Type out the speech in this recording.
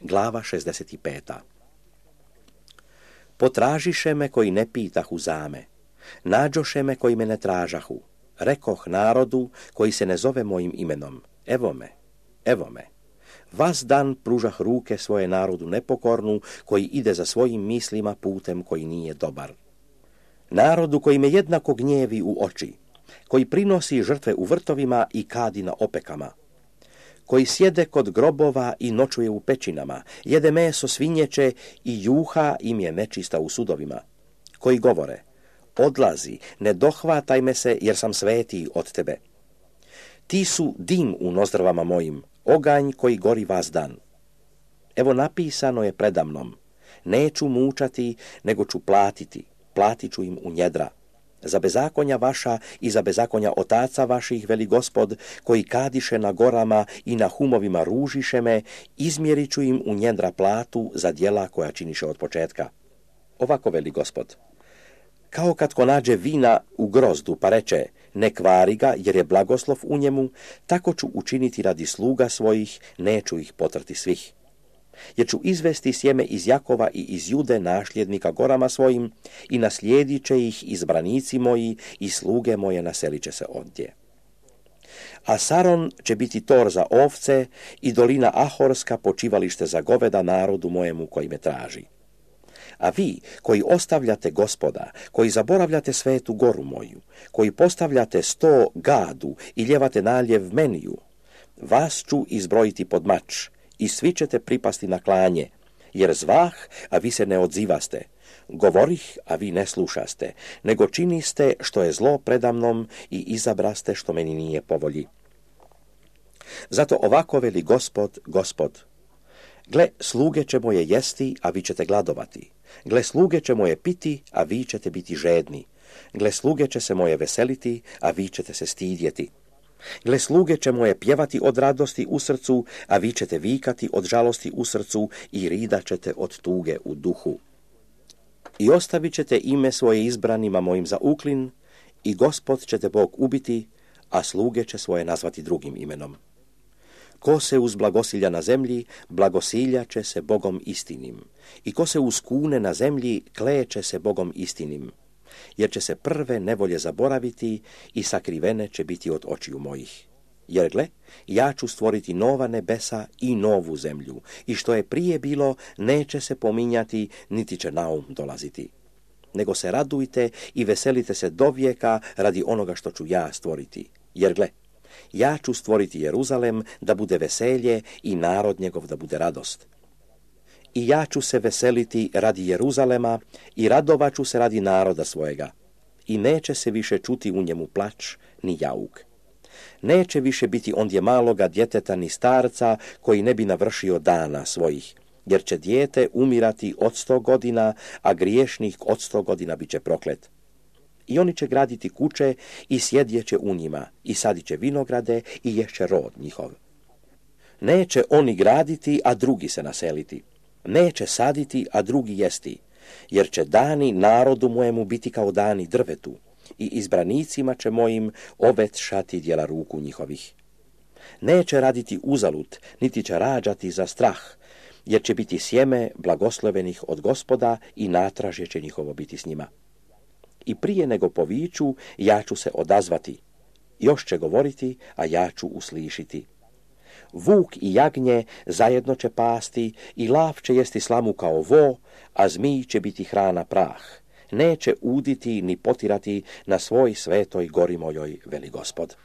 Glava 65. Potražiše me koji ne pitahu zame, nađoše me koji me ne tražahu. Rekoh narodu koji se ne zove mojim imenom, evo me, evo me. Vas dan pružah ruke svoje narodu nepokornu, koji ide za svojim mislima putem koji nije dobar. Narodu koji me jednako gnjevi u oči, koji prinosi žrtve u vrtovima i kadi na opekama, koji sjede kod grobova i noćuje u pećinama, jede meso svinjeće i juha im je nečista u sudovima, koji govore, odlazi, ne dohvataj me se jer sam svetiji od tebe. Ti su dim u nozdrvama mojim, oganj koji gori vas dan. Evo napisano je predamnom, neću mučati, nego ću platiti, platit ću im u njedra. Za bezakonja vaša i za bezakonja otaca vaših, veli Gospod, koji kadiše na gorama i na humovima ružiše me, izmjerit ću im u njedra platu za djela koja činiše od početka. Ovako veli Gospod. Kao kad ko nađe vina u grozdu pa reče, ne kvari ga jer je blagoslov u njemu, tako ću učiniti radi sluga svojih, neću ih potrti svih. Jer ću izvesti sjeme iz Jakova i iz Jude nasljednika gorama svojim i naslijedit će ih izbranici moji i sluge moje naselit će se ondje. A Saron će biti tor za ovce i dolina Ahorska počivalište za goveda narodu mojemu koji me traži. A vi, koji ostavljate Gospoda, koji zaboravljate svetu goru moju, koji postavljate 100 gadu i ljevate naljev meniju, vas ću izbrojiti pod mač i svi ćete pripasti na klanje, jer zvah, a vi se ne odzivaste, govorih, a vi ne slušaste, nego činiste što je zlo predamnom i izabraste što meni nije po volji. Zato ovako veli Gospod, Gospod. Gle, sluge će moje jesti, a vi ćete gladovati. Gle, sluge će moje piti, a vi ćete biti žedni. Gle, sluge će se moje veseliti, a vi ćete se stidjeti. Gle, sluge će moje pjevati od radosti u srcu, a vi ćete vikati od žalosti u srcu i ridat ćete od tuge u duhu. I ostavit ćete ime svoje izbranima mojim za uklin, i Gospod ćete Bog ubiti, a sluge će svoje nazvati drugim imenom. Ko se uz blagosilja na zemlji, blagosilja će se Bogom istinim. I ko se uz kune na zemlji, kleće se Bogom istinim. Jer će se prve nevolje zaboraviti i sakrivene će biti od očiju mojih. Jer gle, ja ću stvoriti nova nebesa i novu zemlju, i što je prije bilo, neće se pominjati, niti će na um dolaziti. Nego se radujte i veselite se dovijeka radi onoga što ću ja stvoriti. Jer gle, ja ću stvoriti Jeruzalem da bude veselje i narod njegov da bude radost. I ja ću se veseliti radi Jeruzalema i radovat ću se radi naroda svojega. I neće se više čuti u njemu plać ni jauk. Neće više biti ondje maloga djeteta ni starca koji ne bi navršio dana svojih, jer će dijete umirati od 100 godina, a griješnik od 100 godina bit će proklet. I oni će graditi kuće i sjedjeće u njima, i sadit će vinograde i ješće rod njihov. Neće oni graditi, a drugi se naseliti. Neće saditi, a drugi jesti, jer će dani narodu mojemu biti kao dani drvetu, i izbranicima će mojim ovetšati djela ruku njihovih. Neće raditi uzalud, niti će rađati za strah, jer će biti sjeme blagoslovenih od Gospoda i natražje će njihovo biti s njima. I prije nego poviću, ja ću se odazvati. Još će govoriti, a ja ću uslišiti. Vuk i jagnje zajedno će pasti i lav će jesti slamu kao vo, a zmij će biti hrana prah. Neće uditi ni potirati na svoj svetoj gori mojoj, veli Gospod.